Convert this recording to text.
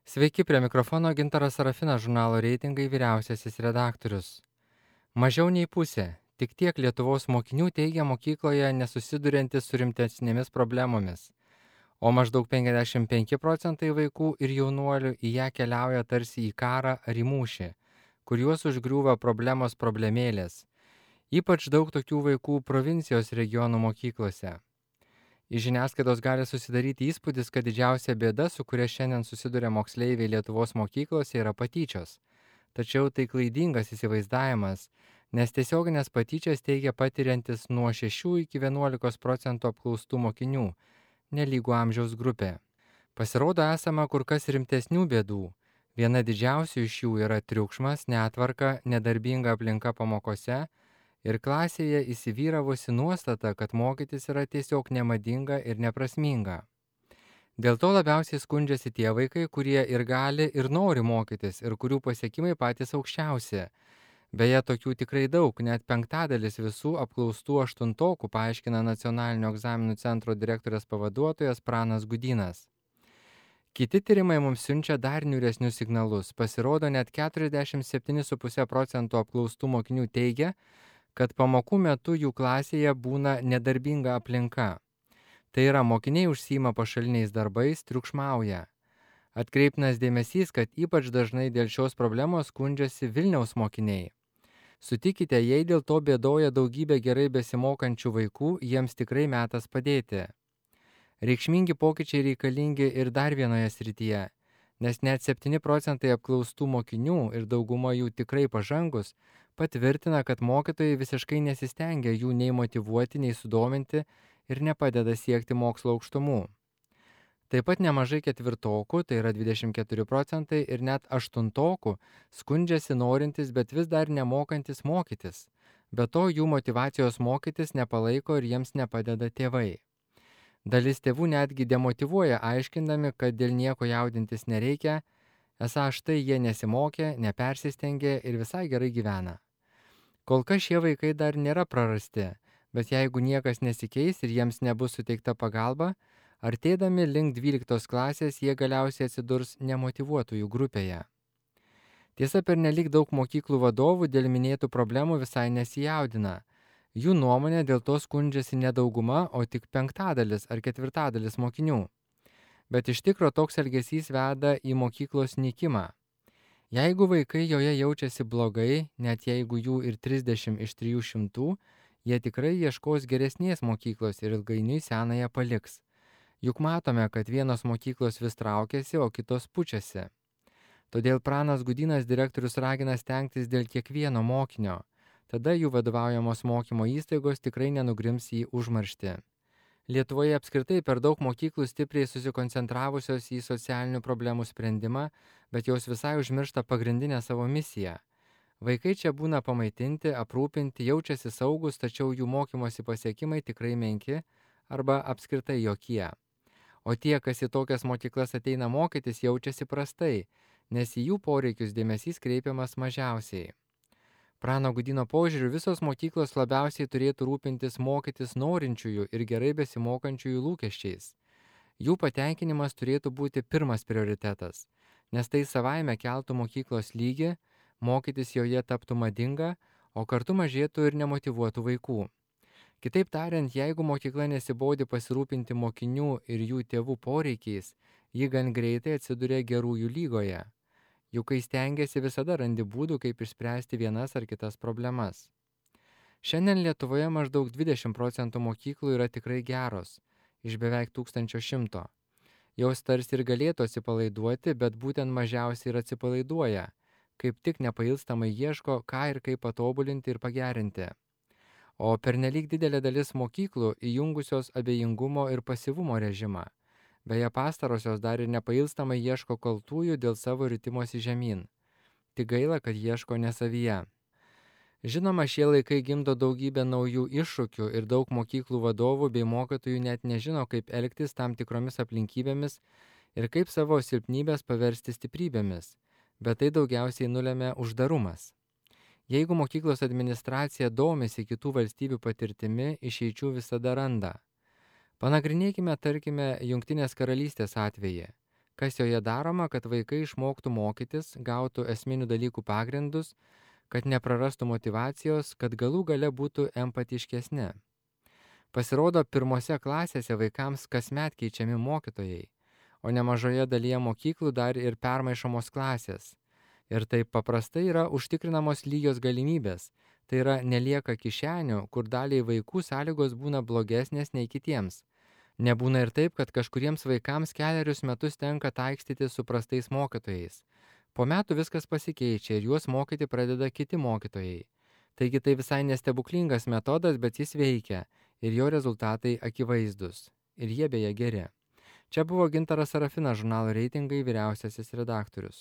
Sveiki, prie mikrofono Gintaras Sarafinas, žurnalo reitingai vyriausiasis redaktorius. Mažiau nei pusė, tik tiek Lietuvos mokinių teigia mokykloje nesusiduriantis su rimtesnėmis problemomis, o maždaug 55% vaikų ir jaunuolių į ją keliauja tarsi į karą ar į mūšį, kur juos užgriūva problemos problemėlės. Ypač daug tokių vaikų provincijos regionų mokyklose. Iš žiniasklaidos gali susidaryti įspūdis, kad didžiausia bėda, su kuria šiandien susiduria moksleiviai Lietuvos mokyklose, yra patyčios. Tačiau tai klaidingas įsivaizdavimas, nes tiesioginės patyčias teigia patiriantis nuo 6 iki 11% apklaustų mokinių, nelygų amžiaus grupė. Pasirodo, esama kur kas rimtesnių bėdų. Viena didžiausių iš jų yra triukšmas, netvarka, nedarbinga aplinka pamokose ir klasėje įsivyravusi nuostata, kad mokytis yra tiesiog nemadinga ir neprasminga. Dėl to labiausiai skundžiasi tie vaikai, kurie ir gali, ir nori mokytis, ir kurių pasiekimai patys aukščiausi. Beje, tokių tikrai daug, net 1/5 visų apklaustų aštuntokų, paaiškina Nacionalinio egzaminų centro direktorės pavaduotojas Pranas Gudynas. Kiti tyrimai mums siunčia dar niūresnius signalus. Pasirodo, net 47,5% apklaustų mokinių teigia, kad pamokų metu jų klasėje būna nedarbinga aplinka. Tai yra, mokiniai užsiima pašaliniais darbais, triukšmauja. Atkreiptinas dėmesys, kad ypač dažnai dėl šios problemos skundžiasi Vilniaus mokiniai. Sutikite, jei dėl to bėdoja daugybė gerai besimokančių vaikų, jiems tikrai metas padėti. Reikšmingi pokyčiai reikalingi ir dar vienoje srityje, nes net 7% apklaustų mokinių ir dauguma jų tikrai pažangus patvirtina, kad mokytojai visiškai nesistengia jų nei motyvuoti, nei sudominti ir nepadeda siekti mokslo aukštumų. Taip pat nemažai ketvirtokų, tai yra 24%, ir net aštuntokų skundžiasi norintys, bet vis dar nemokantis mokytis. Be to, jų motyvacijos mokytis nepalaiko ir jiems nepadeda tėvai. Dalis tėvų netgi demotyvuoja, aiškindami, kad dėl nieko jaudintis nereikia, esą štai jie nesimokė, nepersistengė ir visai gerai gyvena. Kol kas šie vaikai dar nėra prarasti, bet jeigu niekas nesikeis ir jiems nebus suteikta pagalba, artėdami link 12 klasės jie galiausiai atsidurs nemotyvuotųjų grupėje. Tiesa, pernelyg daug mokyklų vadovų dėl minėtų problemų visai nesijaudina. Jų nuomonė dėl to skundžiasi ne dauguma, o tik 1/5 ar 1/4 mokinių. Bet iš tikro toks elgesys veda į mokyklos nykimą. Jeigu vaikai joje jaučiasi blogai, net jeigu jų ir 30 iš 300, jie tikrai ieškos geresnės mokyklos ir ilgainiui senąją paliks. Juk matome, kad vienos mokyklos vis traukiasi, o kitos pučiasi. Todėl Pranas Gudynas direktorius ragina stengtis dėl kiekvieno mokinio. Tada jų vadovaujamos mokymo įstaigos tikrai nenugrims į užmarštį. Lietuvoje apskritai per daug mokyklų stipriai susikoncentravusios į socialinių problemų sprendimą, bet jos visai užmiršta pagrindinę savo misiją. Vaikai čia būna pamaitinti, aprūpinti, jaučiasi saugus, tačiau jų mokymosi pasiekimai tikrai menki arba apskritai jokie. O tie, kas į tokias mokyklas ateina mokytis, jaučiasi prastai, nes į jų poreikius dėmesys kreipiamas mažiausiai. Prano Gudyno požiūriu, visos mokyklos labiausiai turėtų rūpintis mokytis norinčiųjų ir gerai besimokančiųjų lūkesčiais. Jų patenkinimas turėtų būti pirmas prioritetas, nes tai savaime keltų mokyklos lygį, mokytis joje taptų madinga, o kartu mažėtų ir nemotyvuotų vaikų. Kitaip tariant, jeigu mokykla nesibodi pasirūpinti mokinių ir jų tėvų poreikiais, ji gan greitai atsiduria gerųjų lygoje. Juk kai stengiasi, visada randi būdų, kaip išspręsti vienas ar kitas problemas. Šiandien Lietuvoje maždaug 20% mokyklų yra tikrai geros, iš beveik 1100. Jos tarsi ir galėtų atsipalaiduoti, bet būtent mažiausiai ir atsipalaiduoja, kaip tik nepailstamai ieško, ką ir kaip patobulinti ir pagerinti. O pernelyg didelė dalis mokyklų įjungusios abejingumo ir pasyvumo režimą. Beje, pastarosios dar ir nepailstamai ieško kaltųjų dėl savo ritimosi žemyn. Tik gaila, kad ieško ne savyje. Žinoma, šie laikai gimdo daugybę naujų iššūkių ir daug mokyklų vadovų bei mokytojų net nežino, kaip elgtis tam tikromis aplinkybėmis ir kaip savo silpnybės paversti stiprybėmis, bet tai daugiausiai nulemia uždarumas. Jeigu mokyklos administracija domisi kitų valstybių patirtimi, išeičių visada randa. Panagrinėkime, tarkime, Jungtinės karalystės atvejį. kas joje daroma, kad vaikai išmoktų mokytis, gautų esminių dalykų pagrindus, kad neprarastų motyvacijos, kad galų gale būtų empatiškesni. Pasirodo, pirmose klasėse vaikams kasmet keičiami mokytojai, o nemažoje dalyje mokyklų dar ir permaišomos klasės. Ir taip paprastai yra užtikrinamos lygios galimybės, tai yra nelieka kišenių, kur daliai vaikų sąlygos būna blogesnės nei kitiems. Nebūna ir taip, kad kažkuriems vaikams kelerius metus tenka taikstyti su prastais mokytojais. Po metų viskas pasikeičia ir juos mokyti pradeda kiti mokytojai. Taigi tai visai nestebuklingas metodas, bet jis veikia ir jo rezultatai akivaizdus. Ir jie beje geri. Čia buvo Gintaras Sarafinas, žurnalo Reitingai vyriausiasis redaktorius.